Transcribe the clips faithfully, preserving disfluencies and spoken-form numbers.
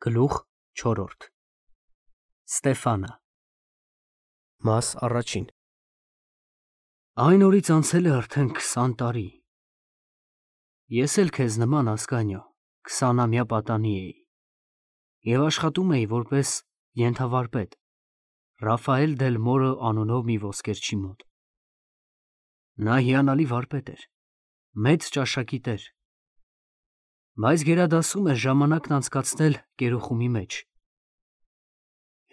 Գլուխ չորրորդ Ստեֆանը Մաս առաջին Այն օրից անցել է արդեն քսան տարի։ Ես էլ քեզ նման Ասկանյո քսանամյա պատանի էի և աշխատում էի որպես ենթավարպետ Ռաֆայել դել Մորո անունով մի ոսկերչի մոտ։ Նա հիանալի վարպետ էր, մեծ ճաշակի տեր, բայց գերադասում էր ժամանակն անցկացնել կերոխումի մեջ։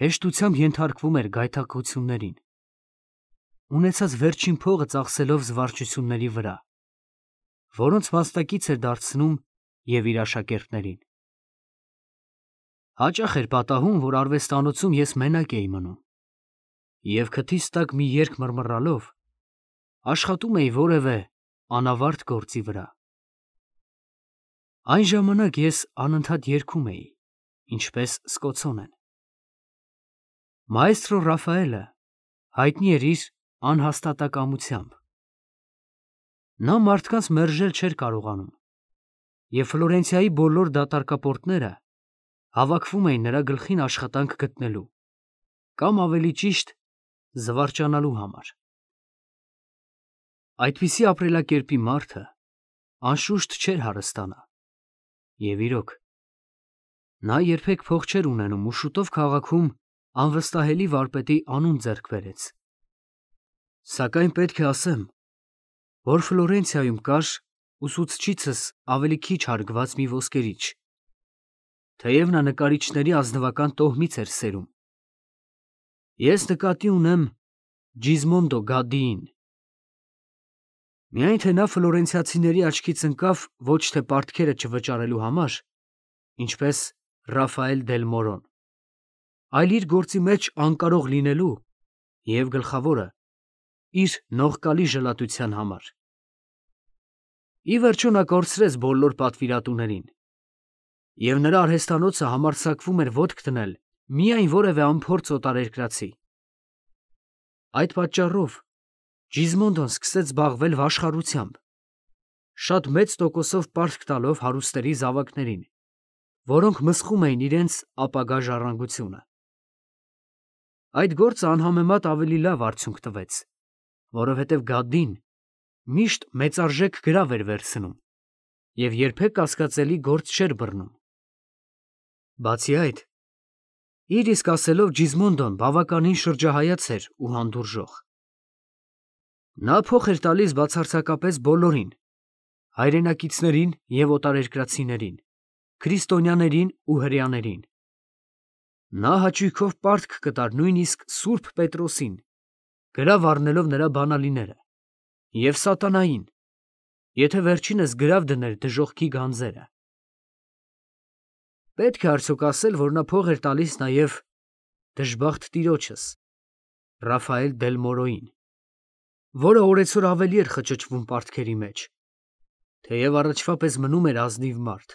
Հեշտությամբ ենթարկվում էր գայթակղություններին, ունեցած վերջին փողը ծախսելով զվարճությունների վրա, որոնց մասնակից էր դարձնում և իր աշակերտներին։ Հաճախ էր պատահում, որ արվեստանոցում ես մենակ էի մնում և քթիս տակ մի երգ մռմռալով աշխատում էի որևէ անավարտ գործի վրա։ Այն ժամանակ ես անընդհատ երգում էի, ինչպես սկոցոն են։ Մաեստրո Ռաֆայելը հայտնի էր իր անհաստատակամությամբ։ Նա մարդկանց մերժել չէր կարողանում, և Ֆլորենցիայի բոլոր դատարկապորտները հավաքվում էին նրա գլխին աշխատանք գտնելու, կամ ավելի ճիշտ զվարճանալու համար։ Այդպիսի ապրելակերպի մարդը անշուշտ չէր հարստանա, և իրոք, նա երբեք փող չէր ունենում ու շուտով քաղաքում անվստահելի վարպետի անուն ձեռք բերեց։ Սակայն պետք է ասեմ, որ Ֆլորենցիայում կար ուսուցչիցս ավելի քիչ հարգված մի ոսկերիչ, թեև նա նկարիչների ազնվական տոհմից էր սերում։ Ես նկատի ունեմ Ջիզմոնդո Գադդիին։ Միայն թե նա ֆլորենցիացիների աչքից ընկավ ոչ թե պարտքերը չվճարելու համար, ինչպես Ռաֆայել դել Մորոն, այլ իր գործի մեջ անկարող լինելու և, գլխավորը, իր նողկալի ժլատության համար։ Ի վերջո նա կորցրեց բոլոր պատվիրատուներին, և նրա արհեստանոցը համարձակվում էր ոտք դնել միայն որևէ անփորձ օտարերկրացի։ Այդ պատճառով Ջիզմոնդոն սկսեց զբաղվել վաշխառությամբ, շատ մեծ տոկոսով պարտք տալով հարուստների զավակներին, որոնք մսխում էին իրենց ապագա ժառանգությունը։ Այդ գործը անհամեմատ ավելի լավ արդյունք տվեց, որովհետև Գադդին միշտ մեծարժեք գրավ էր վերցնում և երբեք կասկածելի գործ չէր բռնում։ Բացի այդ, իր իսկ ասելով Ջիզմոնդոն բավականին շրջահայաց էր ու հանդուրժող։ Նա փող էր տալիս բացարձակապես բոլորին, հայրենակիցներին և օտարերկրացիներին, քրիստոնյաներին ու հրեաներին։ Նա հաճույքով պարտք կտար նույնիսկ Սուրբ Պետրոսին, գրավ առնելով նրա բանալիները, և սատանային, եթե վերջինս գրավ դներ դժոխքի գանձերը։ Պետք է արդյոք ասել, որ նա փող էր տալիս նաև դժբախտ տիրոջս՝ Ռաֆայել դել Մորոյին, որը օրեցօր ավելի էր խճճվում պարտքերի մեջ, թեև առաջվա պես մնում էր ազնիվ մարդ։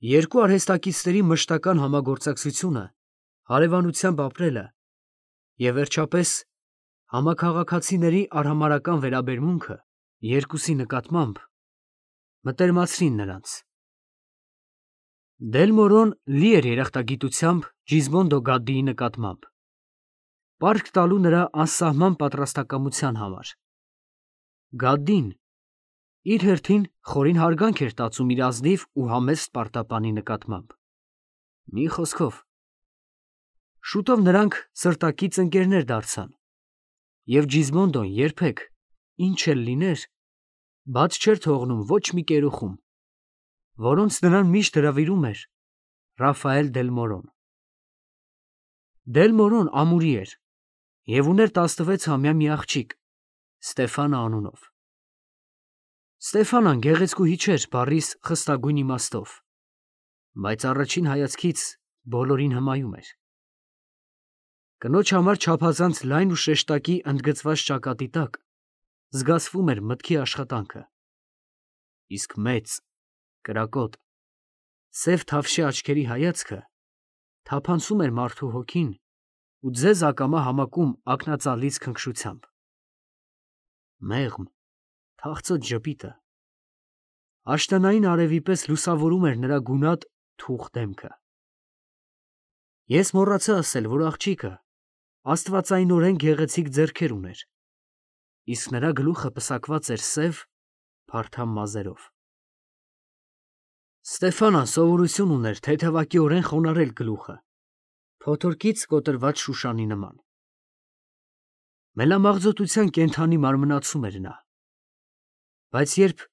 Երկու արհեստակիցների մշտական համագործակցությունը, հարևանությամբ ապրելը և, վերջապես, համաքաղաքացիների արհամարհական վերաբերմունքը երկուսի նկատմամբ մտերմացրին նրանց։ Դել Մորոն լի էր երախտագիտությամբ Ջիզմոնդո Գադդիի նկատմամբ, պարտք տալու նրա անսահման պատրաստակամության համար։ Գադդին իր հերթին խորին հարգանք էր տածում իր ազնիվ ու համեստ պարտապանի նկատմամբ։ Մի խոսքով, շուտով նրանք սրտակից ընկերներ դարձան, և Ջիզմոնդոն երբեք, ինչ էլ լիներ, բաց չէր թողնում ոչ մի կերոխում, որոնց նրան միշտ հրավիրում էր Ռաֆայել դել Մորոն։ Դել Մորոն ամուրի էր և ուներ տասնվեցամյա մի աղջիկ Ստեֆանա անունով։ Ստեֆանան գեղեցկուհի չէր բառիս խստագույն իմաստով, բայց առաջին հայացքից բոլորին հմայում էր։ Կնոջ համար չափազանց լայն ու շեշտակի ընդգծված ճակատի տակ զգացվում էր մտքի աշխատանքը, իսկ մեծ, կրակոտ, սև թավշյա աչքերի հայացքը թափանցում էր մարդու հոգին ու ձեզ ակամա համակում ակնածալից քնքշությամբ։ Մեղմ, թախծոտ ժպիտը աշնանային արևի պես լուսավորում էր նրա գունատ թուխ դեմքը։ Ես մոռացա ասել, որ աղջիկը աստվածայնորեն գեղեցիկ ձեռքեր ուներ, իսկ նրա գլուխը պսակված էր սև, փարթամ մազերով։ Ստեֆանան սովորություն ուներ թեթևակիորեն խոնարհել գլուխը, փոթորկից կոտրված շուշանի նման։ Մելամաղձոտության կենդանի մարմնացում էր նա, բայց երբ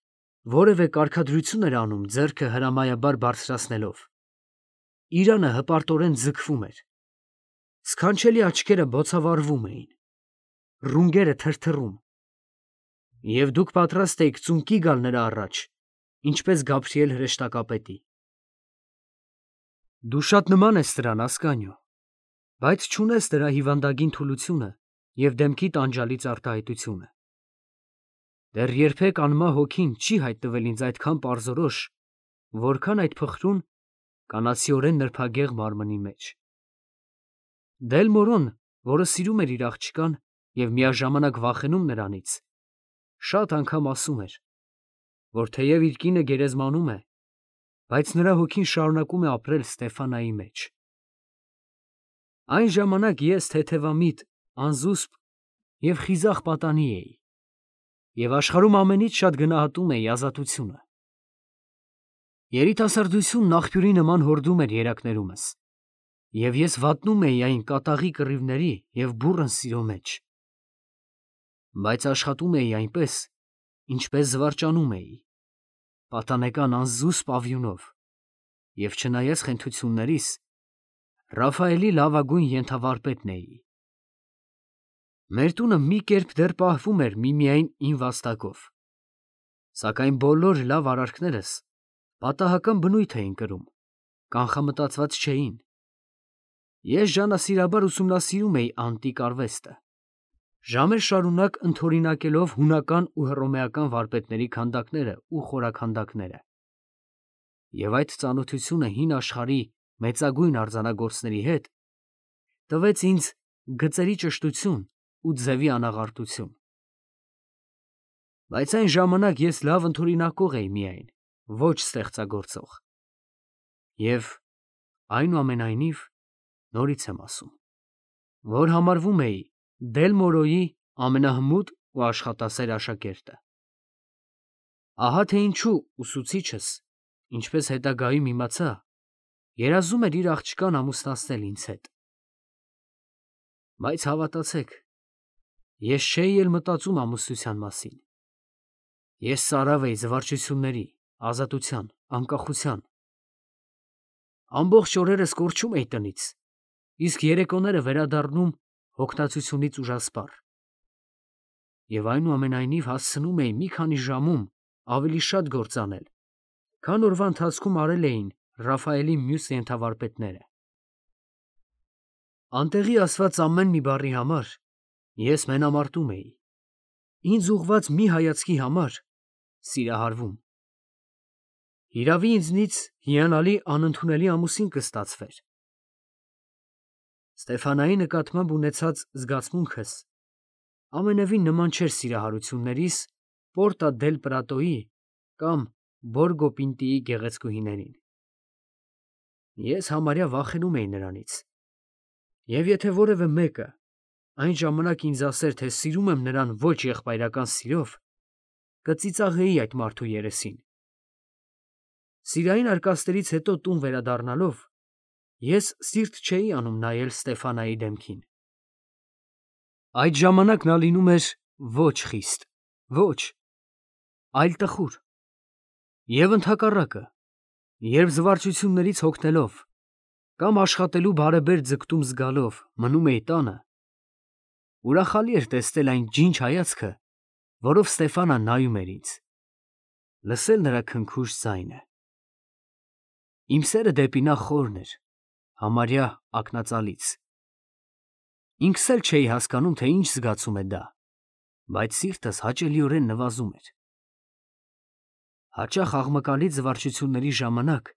որևէ կարգադրություն էր անում ձեռքը հրամայաբար բարձրացնելով, իրանը հպարտորեն ձգվում էր, սքանչելի աչքերը բոցավառվում էին, ռունգերը թրթռում, և դուք պատրաստ էիք ծունկի գալ նրա առաջ, ինչպես Գաբրիել հրեշտակապետի։ Դու շատ նման ես նրան, Ասկանիո, բայց չունես դրա հիվանդագին թուլությունը և դեմքի տանջալից արտահայտությունը։ Դեռ երբեք անմահ հոգին չի հայտնվել ինձ այդքան պարզորոշ, որքան այդ փխրուն, կանացիորեն նրբագեղ մարմնի մեջ։ Դելմորոն, որը սիրում էր իր աղջկան և միաժամանակ վախենում նրանից, շատ անգամ ասում էր, որ թեև իր կինը գերեզմանում է, բայց նրա հոգին շարունակում է ապրել Ստեֆանայի մեջ։ Այն ժամանակ ես թեթևամիտ, անզուսպ և խիզախ պատանի էի, և աշխարհում ամենից շատ գնահատում էի ազատությունը։ Երիտասարդությունն աղբյուրի նման հորդում էր երակներումս, և ես վատնում էի այն կատաղի կռիվների և բուռն սիրո մեջ։ Բայց աշխատում էի այնպես, ինչպես զվարճանում էի, պատանեկան անզուսպ ավյունով, և չնայած խենթություններիս, Ռաֆայելի լավագույն ենթավարպետն էի։ Մեր տունը մի կերպ դեռ պահվում էր միմիայն իմ վաստակով, սակայն բոլոր լավ արարքներս պատահական բնույթ էին կրում, կանխամտածված չէին։ Ես ժանասիրաբար ուսումնասիրում էի անտիկ արվեստը, ժամեր շարունակ ընդօրինակելով հունական ու հռոմեական վարպետների քանդակները ու խորաքանդակները, և այդ ծանոթությունը հին աշխարհի մեծագույն արձանագործների հետ տվեց ինձ գծերի ճշտություն ու ձևի անաղարտություն։ Բայց այն ժամանակ ես լավ ընդօրինակող էի միայն, ոչ ստեղծագործող։ Եվ, այնուամենայնիվ, նորից եմ ասում, որ համարվում էի Դելմորոյի ամենահմուտ ու աշխատասեր աշակերտը։ Ահա թե ինչու ուսուցիչս, ինչպես հետագայում իմացա, երազում էր իր աղջկան ամուսնացնել ինձ հետ։ Բայց հավատացեք, ես չէի էլ մտածում ամուսնության մասին։ Ես ծարավ էի զվարճությունների, ազատության, անկախության։ Ամբողջ օրերս կորչում էի տնից, իսկ երեկոները վերադառնում հոգնածությունից ուժասպառ։ Եվ այնուամենայնիվ հասցնում էի մի քանի ժամում ավելի շատ գործ անել, քան օրվա ընթացքում արել էին Ռաֆայելի մյուս ենթավարպետները։ Անտեղի ասված ամեն մի բառի համար ես մենամարտում էի, ինձ ուղղված մի հայացքի համար սիրահարվում։ Հիրավի, ինձնից հիանալի անընդունելի ամուսին կստացվեր։ Ստեֆանայի նկատմամբ ունեցած զգացմունքս ամենևին նման չէր սիրահարություններիս Պորտա դել Պրատոյի կամ Բորգո Պինտիի գեղեցկուհիներին։ Ես համարյա վախենում էի նրանից, և եթե որևէ մեկը այն ժամանակ ինձ ասեր, թե սիրում եմ նրան ոչ եղբայրական սիրով, կծիծաղեի այդ մարդու երեսին։ Սիրային արկածներից հետո տուն վերադառնալով, ես սիրտ չէի անում նայել Ստեֆանայի դեմքին։ Այդ ժամանակ նա լինում էր ոչ խիստ, ոչ, այլ տխուր։ Եվ ընդհակառակը, երբ զվարճություններից հոգնելով կամ աշխատելու բարեբեր ձգտում զգալով մնում էի տանը, ուրախալի էր տեսնել այն ջինջ հայացքը, որով Ստեֆանան նայում էր ինձ, լսել նրա քնքուշ ձայնը։ Իմ սերը դեպի նա խորն էր, համարյա ակնածալից։ Ինքս էլ չէի հասկանում, թե ինչ զգացում է դա, բայց սիրտս հաճելիորեն նվազում էր։ Հաճախ աղմկալի զվարճությունների ժամանակ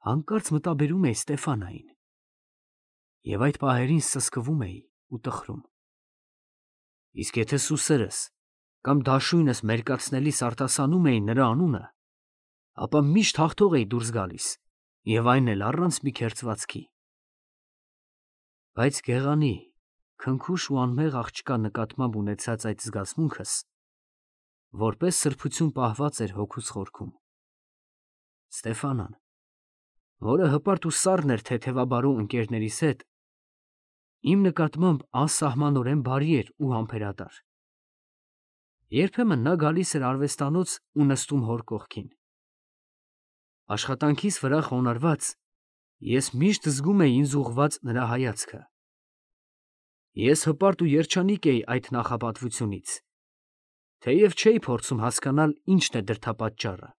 հանկարծ մտաբերում էի Ստեֆանային, և այդ պահերին սսկվում էի ու տխրում։ Իսկ եթե սուսերս կամ դաշույնս մերկացնելիս արտասանում էի նրա անունը, ապա միշտ հաղթող էի դուրս գալիս և այն էլ առանց մի քերծվածքի։ Բայց գեղանի, քնքուշ ու անմեղ աղջկա նկատմամբ ունեցած այդ զգացմունքս որպես սրբություն պահված էր հոգուս խորքում։ Ստեֆանան, որը հպարտ ու սառն էր թեթևաբարու ընկերներիս հետ, իմ նկատմամբ անսահմանորեն բարի էր ու համբերատար։ Երբեմն նա գալիս էր արվեստանոց ու նստում հոր կողքին։ Աշխատանքիս վրա խոնարհված, ես միշտ զգում էի ինձ ուղղված նրա հայացքը։ Ես հպարտ ու երջանիկ էի այդ նախապատվությունից, թեև չէի փորձում հասկանալ ինչն է դրդապատճառը։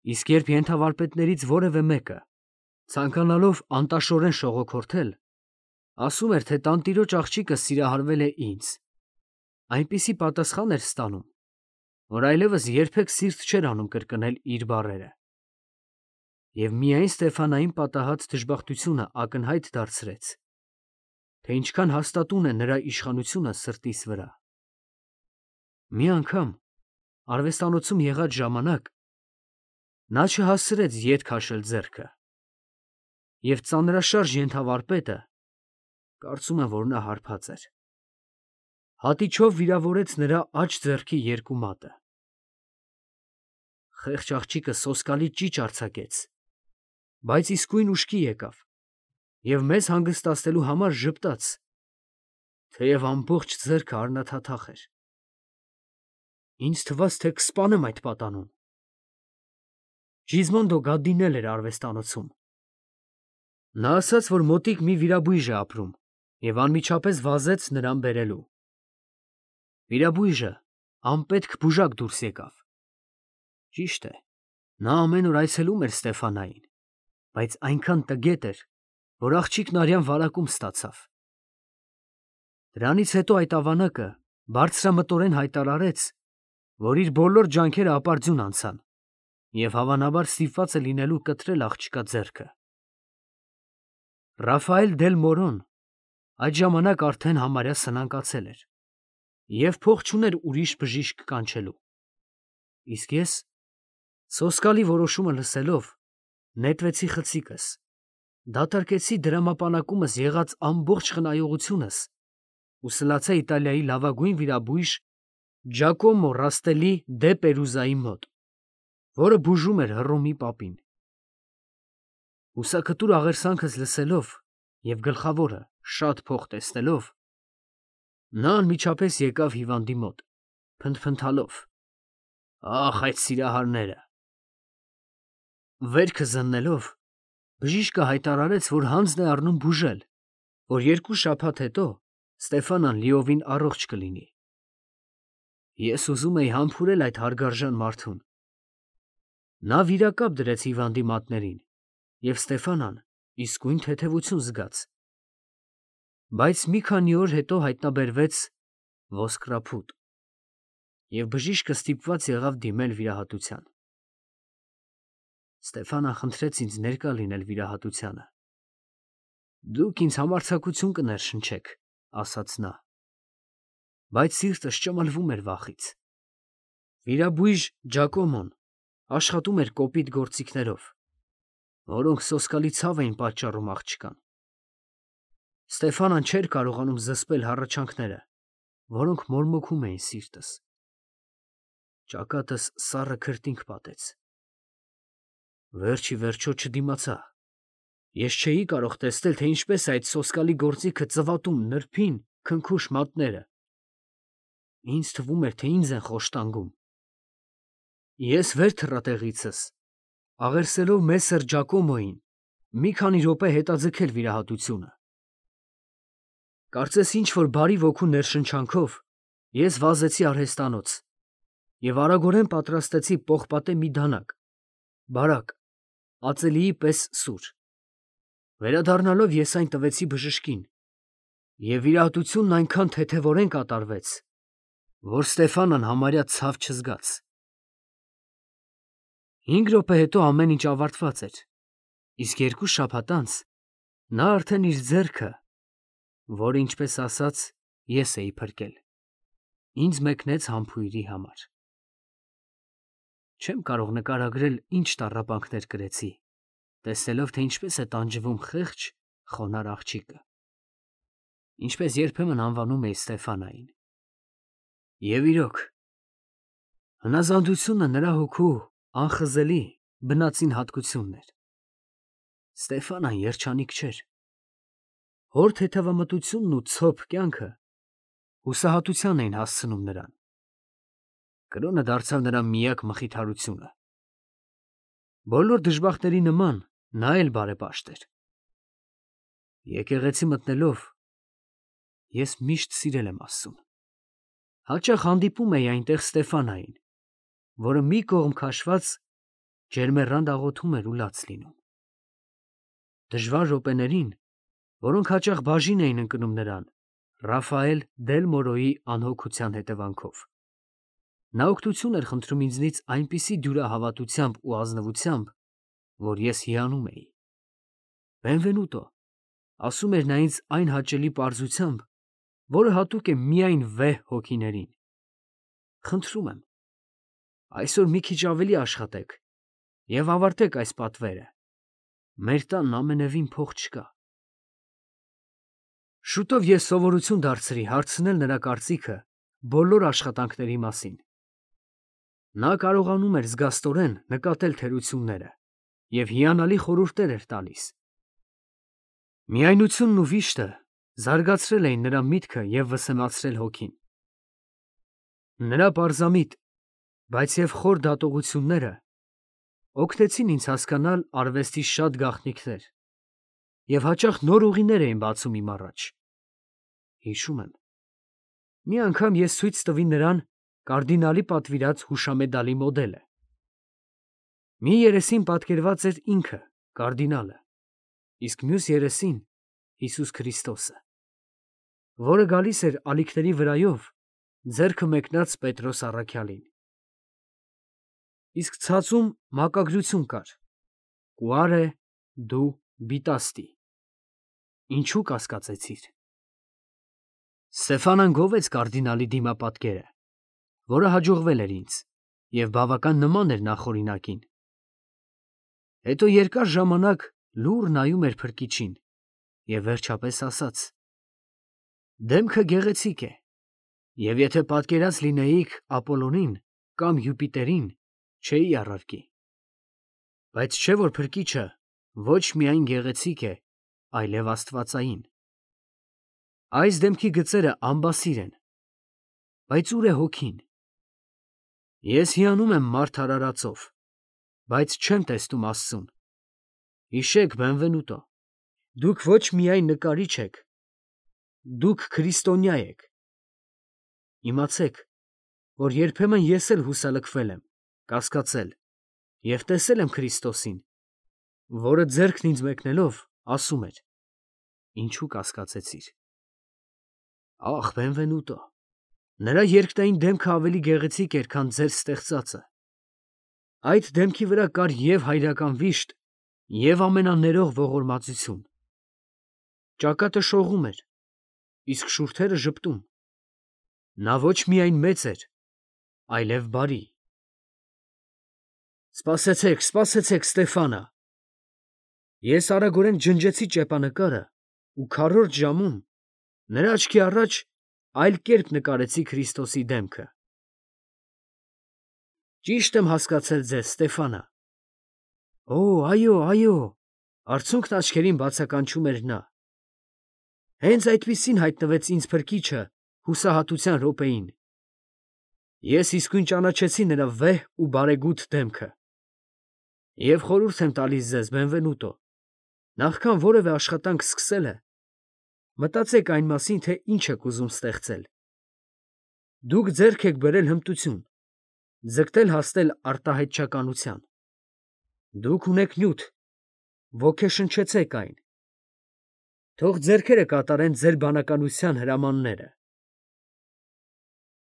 Իսկ երբ ենթավարպետներից որևէ մեկը, ցանկանալով անտաշորեն շողոքորթել, ասում էր, թե տանտիրոջ աղջիկը սիրահարվել է ինձ, այնպիսի պատասխան էր ստանում, որ այլևս երբեք սիրտ չէր անում կրկնել իր բառերը։ Եվ միայն Ստեֆանային պատահած դժբախտությունը ակնհայտ դարձրեց, թե ինչքան հաստատուն է նրա իշխանությունը սրտիս վրա։ Մի անգամ, արվեստանոցում եղած ժամանակ, նա չհասցրեց ետ քաշել ձեռքը, և ծանրաշարժ ենթավարպետը, կարծում եմ, որ նա հարբած էր, հատիչով վիրավորեց նրա աջ ձեռքի երկու մատը։ Խեղճ աղջիկը սոսկալի ճիչ արձակեց, բայց իսկույն ուշքի եկավ և մեզ հանգստացնելու համար ժպտաց, թեև ամբողջ ձեռքը արնաթաթախ էր։ Ինձ թվաց, թե կսպանեմ այդ պատանուն։ Ջիզմոնդո Գադդին էլ էր արվեստանոցում։ Նա ասաց, որ մոտիկ մի վիրաբույժ է ապրում և անմիջապես վազեց նրան բերելու։ Վիրաբույժը անպետք բուժակ դուրս եկավ։ Ճիշտ է, նա ամեն օր այցելում էր Ստեֆանային, բայց այնքան տգետ էր, որ աղջիկն արյան վարակում ստացավ։ Դրանից հետո այդ ավանակը բարձրամտորեն հայտարարեց, որ իր բոլոր ջանքերը ապարդյուն անցան, և հավանաբար ստիպված է լինելու կտրել աղջկա ձեռքը։ Ռաֆայել դել Մորոն այդ ժամանակ արդեն համարյա սնանկացել էր և փող չուներ ուրիշ բժիշկ կանչելու, իսկ ես, սոսկալի որոշումը լսելով, նետվեցի խցիկս, դատարկեցի դրամապանակումս եղած ամբողջ խնայողությունս ու սլացա Իտալիայի լավագույն վիրաբույժ Ջակոմո Ռաստելի դե Պերուզայի մոտ, որը բուժում էր Հռոմի պապին։ Հուսաքտուր աղերսանքս լսելով և գլխավորը շատ փող տեսնելով, նա անմիջապես եկավ հիվանդի մոտ, փնթփնթալով. «Ախ, այդ սիրահարները»։ Վերքը զննելով, բժիշկը հայտարարեց, որ հանձն է առնում բուժել, որ երկու շաբաթ հետո Ստեֆանան լիովին առողջ կլինի։ Ես ուզում էի համբուրել այդ հարգարժան մարդուն։ Նա վիրակապ դրեց հիվանդի մատներին, և Ստեֆանան իսկույն թեթևություն զգաց։ Բայց մի քանի օր հետո հայտնաբերվեց ոսկրափուտ, և բժիշկը ստիպված եղավ դիմել վիրահատության։ Ստեֆանան խնդրեց ինձ ներկա լինել վիրահատությանը։ «Դուք ինձ համարձակություն կներշնչեք», ասաց նա, բայց սիրտս ճմլվում էր վախից։ Վիրաբույժ Ջակոմոն աշխատում էր կոպիտ գործիքներով, որոնք սոսկալի ցավ էին պատճառում աղջկան։ Ստեֆանան չէր կարողանում զսպել հառաչանքները, որոնք մորմոքում էին սիրտս։ Ճակատս սառը քրտինք պատեց։ Վերջ ի վերջո չդիմացա։ Ես չէի կարող տեսնել, թե ինչպես է այդ սոսկալի գործիքը ծվատում նրբին, քնքուշ մատները։ Ինձ թվում էր, թե ինձ են խոշտանգում։ Ես վեր թռա տեղիցս, աղերսելով մեսեր Ջակոմոյին մի քանի րոպե հետաձգել վիրահատությունը։ Կարծես ինչ֊որ բարի ոգու ներշնչանքով ես վազեցի արհեստանոց և արագորեն պատրաստեցի պողպատե մի դանակ, բարակ, ածելիի պես սուր։ Վերադառնալով ես այն տվեցի բժշկին, և վիրահատությունն այնքան թեթևորեն կատարվեց, որ Ստեֆանան համարյա ցավ չզգաց։ Հինգ րոպե հետո ամեն ինչ ավարտված էր, իսկ երկու շաբաթ անց նա արդեն իր ձեռքը, որը, ինչպես ասած, ես էի փրկել, ինձ մեկնեց համբույրի համար։ Չեմ կարող նկարագրել ինչ տառապանքներ կրեցի, տեսնելով, թե ինչպես է տանջվում խեղճ, խոնարհ աղջիկը, ինչպես երբեմն անվանում էի Ստեֆանային։ Եվ իրոք, հնազանդությունը նրա հոգու անխզելի բնածին հատկությունն էր։ Ստեֆանան երջանիկ չէր։ Հոր թեթևամտությունն ու ցոփ կյանքը հուսահատության էին հասցնում նրան։ Կրոնը դարձավ նրա միակ մխիթարությունը։ Բոլոր դժբախտների նման նա էլ բարեպաշտ էր։ Եկեղեցի մտնելով ես միշտ սիրել եմ Աստծուն։ Հաճախ հանդիպում էի այնտեղ Ստեֆանային, որը մի կողմ քաշված ջերմեռանդ աղոթում էր ու լաց լինում։ Դժվար րոպեներին, որոնք հաճախ բաժին էին ընկնում նրան Ռաֆայել Դել Մորոյի անհոգության հետևանքով, նա օգնություն էր խնդրում ինձնից այնպիսի դյուրահավատությամբ ու ազնվությամբ, որ ես հիանում էի։ Բենվենուտո, ասում էր նա ինձ այն հաճելի պարզությամբ, որը հատուկ է միայն վեհ հոգիներին։ Խնդրում եմ, այսօր մի քիչ ավելի աշխատեք և ավարտեք այս պատվերը։ Մեր տանն ամենևին փող չկա։ Շուտով ես սովորություն դարձրի հարցնել նրա կարծիքը բոլոր աշխատանքների մասին։ Նա կարողանում էր զգաստորեն նկատել թերությունները և հիանալի խորհուրդներ էր տալիս։ Միայնությունն ու վիշտը զարգացրել էին նրա միտքը և վսեմացրել հոգին։ Նրա պարզամիտ, բայց և խոր դատողությունները օգնեցին ինձ հասկանալ արվեստի շատ գաղտնիքներ և հաճախ նոր ուղիներ էին բացում իմ առաջ։ Հիշում եմ, մի անգամ ես ցույց տվի նրան կարդինալի պատվիրած հուշամեդալի մոդելը։ Մի երեսին պատկերված էր ինքը, կարդինալը, իսկ մյուս երեսին Հիսուս Քրիստոսը, որը գալիս էր ալիքների վրայով, ձեռքը մեկնած Պետրոս առաքյալին։ Իսկ ցածում մակագրություն կար. «Կուարե դու բիտաստի» (ինչու կասկածեցիր)։ Ստեֆանան գովեց կարդինալի դիմապատկերը, որը հաջողվել էր ինձ և բավական նման էր նախօրինակին։ Հետո երկար ժամանակ լուռ նայում էր փրկիչին և վերջապես ասաց. «Դեմքը գեղեցիկ է, և եթե պատկերած լինեիք Ապոլոնին կամ Յուպիտերին, չէի առարկի։ Բայց չէ՞ որ փրկիչը ոչ միայն գեղեցիկ է, այլև աստվածային։ Այս դեմքի գծերը ամբասիր են, բայց ո՞ւր է հոգին։ Ես հիանում եմ մարդ արարածով, բայց չեմ տեսնում Աստծուն։ Հիշեք, Բենվենուտո, դուք ոչ միայն նկարիչ եք, դուք քրիստոնյա եք։ Իմացեք, որ երբեմն ես էլ հուսալքվել եմ, կասկածել և տեսել եմ Քրիստոսին, որը ձեռքն ինձ մեկնելով ասում էր. «Ինչու կասկածեցիր»։ Ախ, Բենվենուտո, նրա երկնային դեմքը ավելի գեղեցիկ էր, քան ձեր ստեղծածը։ Այդ դեմքի վրա կար և հայրական վիշտ, և ամենաներող ողորմածություն։ Ճակատը շողում էր, իսկ շուրթերը ժպտում։ Նա ոչ միայն մեծ էր, այլև բարի։ Սպասեցեք, սպասեցեք, Ստեֆանա։ Ես արագորեն ջնջեցի ճեպանկարը ու քառորդ ժամում նրա աչքի առաջ այլ կերպ նկարեցի Քրիստոսի դեմքը։ Ճի՞շտ եմ հասկացել ձեզ, Ստեֆանա։ Օ, այո, այո, արցունքն աչքերին բացականչում էր նա։ Հենց այդպիսին հայտնվեց ինձ փրկիչը հուսահատության րոպեին։ Ես իսկույն ճանաչեցի նրա վեհ ու բարեգութ դեմքը։ Եվ խորհուրդ եմ տալիս ձեզ, Բենվենուտո, նախքան որևէ աշխատանք սկսելը, մտածեք այն մասին, թե ինչ եք ուզում ստեղծել։ Դուք ձեռք եք բերել հմտություն, ձգտել հասնել արտահայտչականության։ Դուք ունեք նյութ, ոգեշնչեցեք այն։ Թող ձեռքերը կատարեն ձեր բանականության հրամանները։